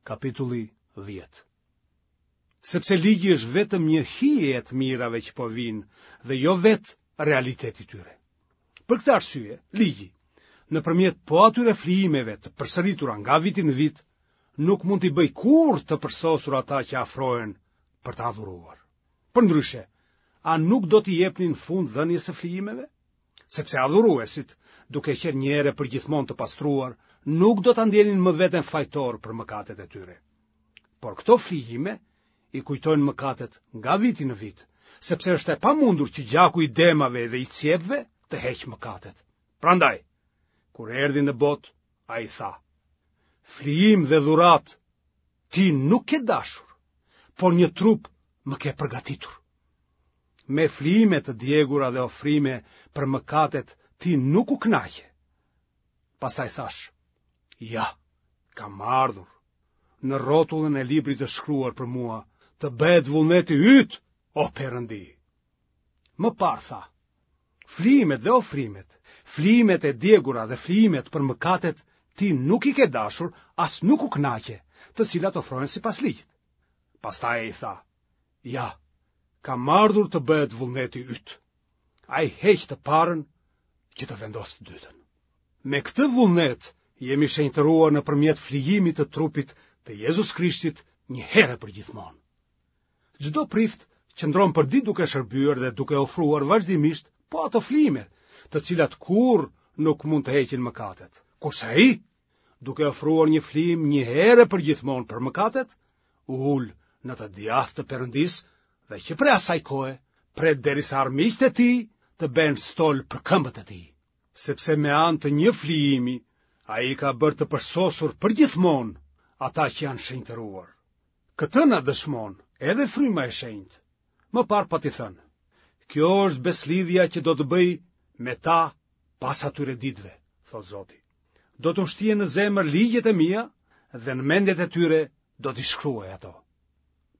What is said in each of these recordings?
Kapitulli 10. Sepse ligji është vetëm një hije e të mirave që po vijnë dhe jo vetë realiteti i tyre. Për këtë arsye, ligji, nëpërmjet po atyre flijimeve të përsëritura nga viti në vit, nuk mund t'i bëjë kurrë të përsosur ata që afrohen për të adhuruar. Përndryshe, a nuk do t'i jepnin fund dhënies së flijimeve? Sepse adhuruesit, duke qenë një herë e përgjithmonë të pastruar, nuk do ta ndjenin më veten fajtorë për mëkatet e tyre. Por këto flijime i kujtojnë mëkatet nga viti në vit, sepse është e pamundur që gjaku i demave dhe i cjepve të heqë mëkatet. Prandaj, kur erdhi në botë, ai tha: Flijim dhe dhuratë ti nuk ke dashur, por një trup më ke përgatitur. Me flijime të djegura dhe ofrime për mëkatet ti nuk u kënaqe. Pastaj thashë, ja, kam ardhur, në rrotullën e librit është shkruar për mua, të bëhet vullneti yt, o Perëndi. Më parë tha, flijimet dhe ofrimet, flijimet e djegura dhe flijimet për mëkatet ti nuk i ke dashur, as nuk u kënaqe, të cilat ofrohen sipas ligjit. Pastaj ai tha, ja, kam ardhur të bëhet vullneti yt. Ai heq të parën që të vendosë të dytën. Me këtë vullnet jemi shenjtëruar nëpërmjet flijimit të trupit të Jezus Krishtit një herë e përgjithmonë. Çdo prift qëndron përditë duke shërbyer dhe duke ofruar vazhdimisht po ato flijime, të cilat kurrë nuk mund të heqin mëkatet. Kurse ai, duke ofruar një flijim një herë e përgjithmonë për mëkatet, u ul në të djathtë të Perëndisë dhe që prej asaj kohe pret derisa armiqtë e tij të bëhen stol për këmbët e tij. Sepse me anë të një flijimi ai i ka bërë të përsosur përgjithmonë ata që janë shenjtëruar. Këtë na dëshmon edhe fryma e shenjtë. Më parë pati thënë, kjo është besëlidhja që do të bëj me ta pas atyre ditëve, thotë Zoti. Do t'u shtie në zemër ligjet e mia dhe në mendjet e tyre do t'i shkruaj ato.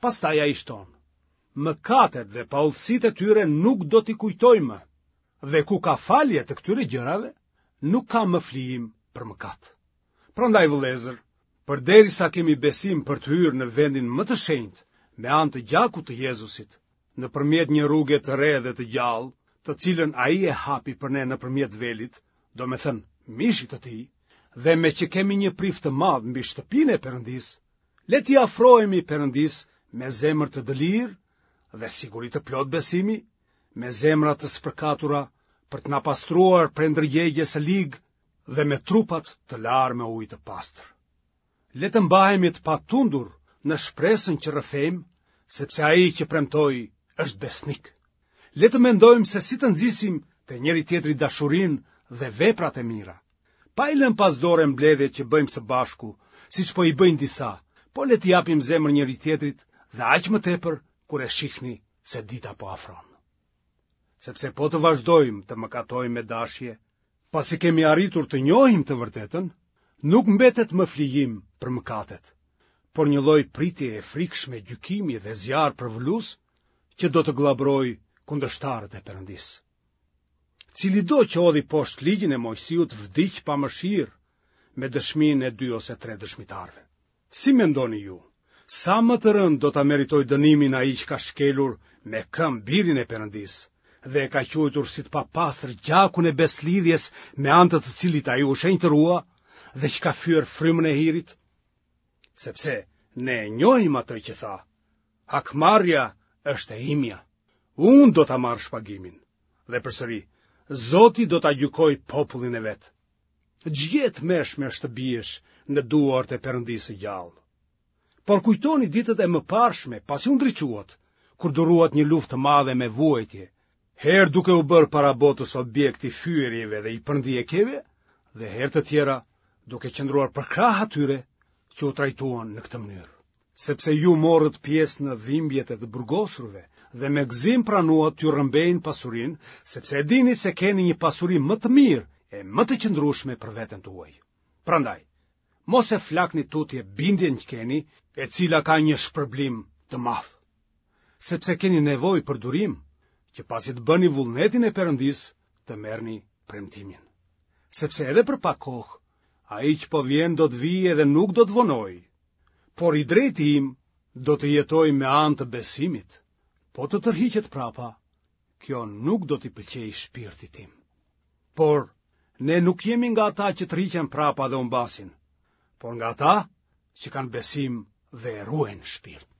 Pastaj ai shton, mëkatet dhe paudhësitë e tyre nuk do t'i kujtoj më, dhe ku ka falje të këtyre gjërave, nuk ka më flijim për mëkat. Prandaj vëllezër, përderisa kemi besim për të hyrë në vendin më të shenjtë me anë të gjakut të Jezusit, nëpërmjet një rruge të re dhe të gjallë, të cilën ai e hapi për ne nëpërmjet velit, domethënë mishit të tij, dhe meqë kemi një prift të madh mbi shtëpinë e Perëndisë, le t'i afrohemi Perëndisë me zemër të dëlirë dhe siguri të plotë besimi, me zemra të spërkatura për të na pastruar prej ndërgjegjes së ligë dhe me trupat të larë me ujë të pastër. Le të mbahemi të patundur në shpresën që rrëfejmë, sepse ai që premtoi është besnik. Le të mendojmë se si të nxisim te njëri-tjetri dashurinë dhe veprat e mira. Pa i lënë pas dore mbledhjet që bëjmë së bashku, siç po i bëjnë disa, po le t'i japim zemër njëri-tjetrit dhe aq më tepër kur e shihni se dita po afron. Sepse po të vazhdojmë të mëkatojmë me dashje, Pasi kemi arritur të njohim të vërtetën, nuk mbetet më flijim për mëkatet, por një lloj pritje e frikshme gjykimi dhe zjarr përvëlues që do të gllabërojë kundërshtarët e Perëndisë. Cilido që hodhi poshtë ligjin e Moisiut vdiq pa mëshirë me dëshminë e dy ose tre dëshmitarëve. Si mendoni ju, sa më të rëndë do ta meritojë dënimin ai që ka shkelur me këmbë birin e Perëndisë dhe e ka quajtur si të papastër gjakun e besëlidhjes me anë të të cilit ai u shenjtërua dhe që ka fyer frymën e hirit? Sepse ne e njohim atë që tha, hakmarrja është e imja, unë do ta marr shpagimin. Dhe përsëri, Zoti do ta gjykojë popullin e vet. Ç'gjë e tmerrshme është të biesh në duart e Perëndisë së gjallë. Por kujtoni ditët e mëparshme, pasi u ndriçuat, kur duruat një luftë të madhe me vuajtje, herë duke u bërë para botës objekt i fyerjeve dhe i përndjekjeve, dhe herë të tjera duke qëndruar përkrah atyre që u trajtuan në këtë mënyrë. Sepse ju morët pjesë në dhimbjet e të burgosurve dhe me gëzim pranuat t'ju rrëmbejnë pasurinë, sepse e dini se keni një pasuri më të mirë e më të qëndrueshme për veten tuaj. Prandaj, mos e flakni tutje bindjen që keni, e cila ka një shpërblim të madh. Sepse keni nevojë për durim, që pasi të bëni vullnetin e Perëndisë, të merrni premtimin. Sepse edhe për pak kohë, ai që po vjen do të vijë edhe nuk do të vonojë. Por i drejti im do të jetojë me anë të besimit, po të tërhiqet prapa, kjo nuk do t'i pëlqejë shpirtit tim. Por, ne nuk jemi nga ata që tërhiqen prapa dhe humbasin, por nga ata që kanë besim dhe e ruajnë shpirtin.